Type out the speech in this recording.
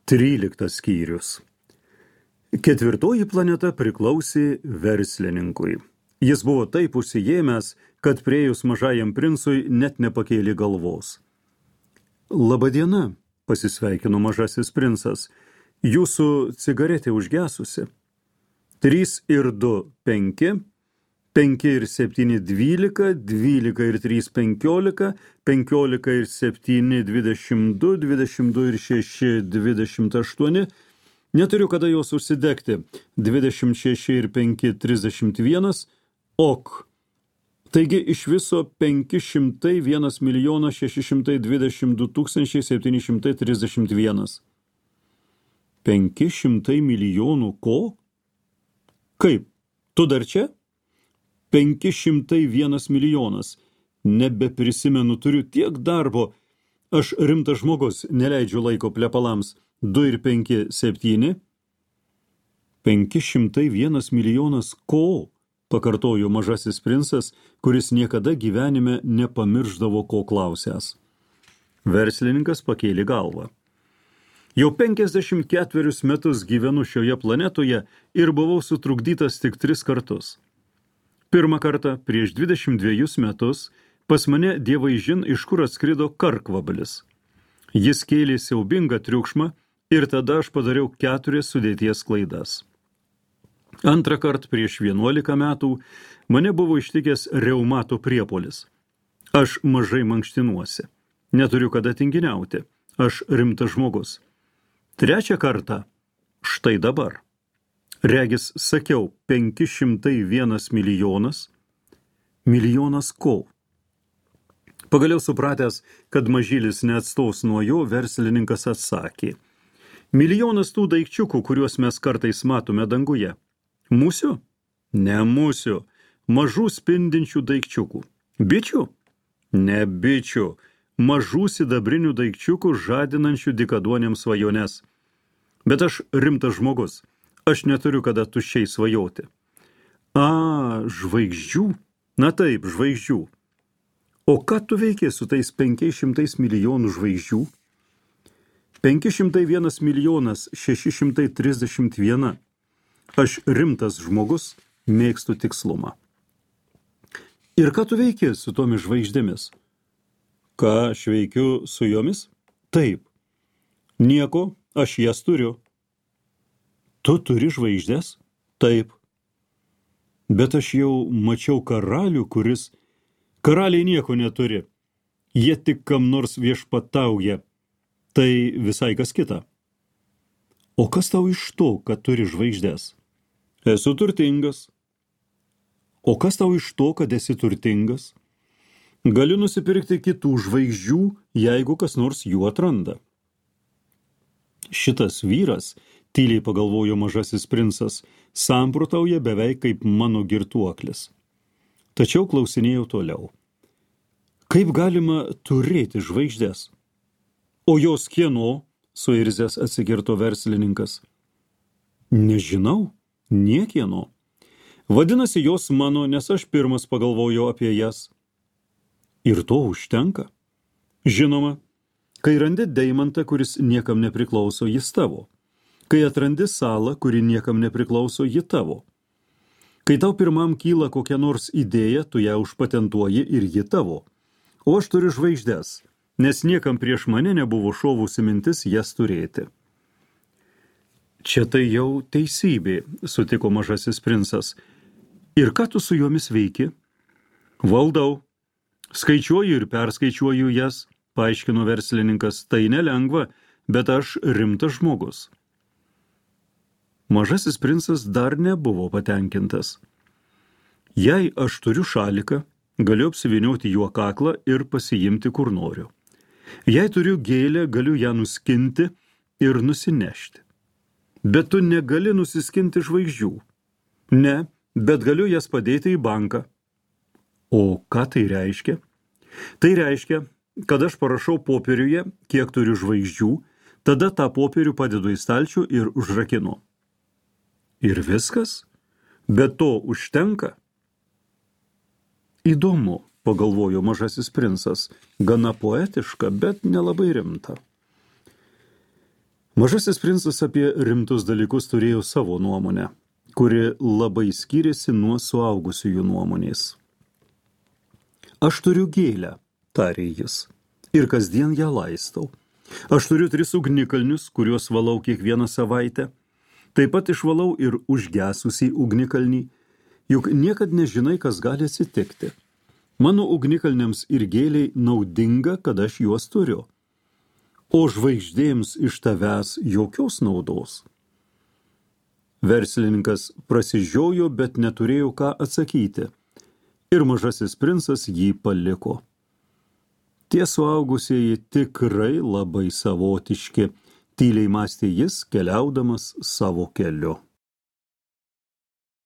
13 skyrius. 4 planeta priklausė verslininkui. Jis buvo taip užsiėmęs, kad priėjus mažajam princui net nepakėlė galvos. Labadiena, pasisveikino mažasis princas. Jūsų cigaretė užgesusi. 3 ir 2 – 5, 5 ir 7 – 12, 12 ir 3 – 15, 15 ir 7 – 22, 22 ir 6 – 28, neturiu kada jos užsidegti, 26 ir 5 – 31, ok. Taigi iš viso 501 622 731. 500 milijonų ko? Kaip? Tu dar čia? 501 milijonas. Nebeprisimenu, turiu tiek darbo. Aš rimtas žmogus, neleidžiu laiko plepalams. 2 ir 5 – 7. 501 milijonas ko? Pakartojo mažasis princas, kuris niekada gyvenime nepamirždavo, ko klausęs. Verslininkas pakėlė galvą. Jau 54 metus gyvenu šioje planetoje ir buvau sutrukdytas tik 3 kartus. Pirmą kartą, prieš 22 metus, pas mane dievaižin iš kur atskrido karkvablis. Jis kėlė siaubingą triukšmą ir tada aš padariau 4 sudėties klaidas. Antrą kartą, prieš 11 metų, mane buvo ištikęs reumato priepuolis. Aš mažai mankštinuosi. Neturiu kada tinginiauti. Aš rimtas žmogus. Trečią kartą, štai dabar. Regis sakiau, 501 milijonas. Milijonas ko? Pagaliau supratęs, kad mažylis neatstos nuo jo, verslininkas atsakė. Milijonas tų daikčiukų, kuriuos mes kartais matome danguje. Musių? Ne musių. Mažų spindinčių daikčiukų. Bičių? Ne bičių. Mažų sidabrinių daikčiukų žadinančių dykaduonėms svajones. Bet aš rimtas žmogus. Aš neturiu kada tuščiai svajoti. Žvaigždžių? Na taip, žvaigždžių. O ką tu veikė su tais 500 milijonų žvaigždžių? 501 milijonas 631. Aš rimtas žmogus, mėgstu tikslumą. Ir ką tu veikė su tomis žvaigždėmis? Ką aš veikiu su jomis? Taip. Nieko, aš jas turiu. Tu turi žvaigždės? Taip. Bet aš jau mačiau karalių, kuris... Karaliai nieko neturi. Jie tik kam nors viešpatauja. Tai visai kas kita. O kas tau iš to, kad turi žvaigždės? Esu turtingas. O kas tau iš to, kad esi turtingas? Galiu nusipirkti kitų žvaigždžių, jeigu kas nors jų atranda. Šitas vyras, tyliai pagalvojo mažasis princas, samprotauja beveik kaip mano girtuoklis. Tačiau klausinėjau toliau. Kaip galima turėti žvaigždės? O jos kieno? Suirzęs atsikirto verslininkas. Nežinau, niekieno. Vadinasi, jos mano, nes aš pirmas pagalvojau apie jas. Ir to užtenka. Žinoma, kai randi deimantą, kuris niekam nepriklauso, jis tavo. Kai atrandi salą, kuri niekam nepriklauso, ji tavo. Kai tau pirmam kyla kokia nors idėja, tu ją užpatentuoji ir ji tavo. O aš turiu žvaigždės, nes niekam prieš mane nebuvo šovusi mintis jas turėti. Čia tai jau teisybė, sutiko mažasis princas. Ir ką tu su jomis veiki? Valdau. Skaičiuoju ir perskaičiuoju jas, paaiškino verslininkas. Tai nelengva, bet aš rimtas žmogus. Mažasis princas dar nebuvo patenkintas. Jei aš turiu šaliką, galiu apsivinioti juo kaklą ir pasiimti kur noriu. Jei turiu gėlę, galiu ją nuskinti ir nusinešti. Bet tu negali nusiskinti žvaigždžių. Ne, bet galiu jas padėti į banką. O ką tai reiškia? Tai reiškia, kad aš parašau popieriuje, kiek turiu žvaigždžių, tada tą popierių padedu į stalčių ir užrakinu. Ir viskas? Bet to užtenka? Įdomu, pagalvojo mažasis princas, gana poetiška, bet nelabai rimta. Mažasis princas apie rimtus dalykus turėjo savo nuomonę, kuri labai skyrėsi nuo suaugusiųjų nuomonės. Aš turiu gėlę, tarė jis, ir kasdien ją laistau. Aš turiu 3 ugnikalnius, kuriuos valau kiekvieną savaitę. Taip pat išvalau ir užgesusį ugnikalnį, juk niekad nežinai, kas gali atsitikti. Mano ugnikalniams ir gėliai naudinga, kad aš juos turiu. O žvaigždėms iš tavęs jokios naudos. Verslininkas prasižiojo, bet neturėjo ką atsakyti. Ir mažasis princas jį paliko. Tie suaugusieji tikrai labai savotiški, tyliai mąstė jis, keliaudamas savo keliu.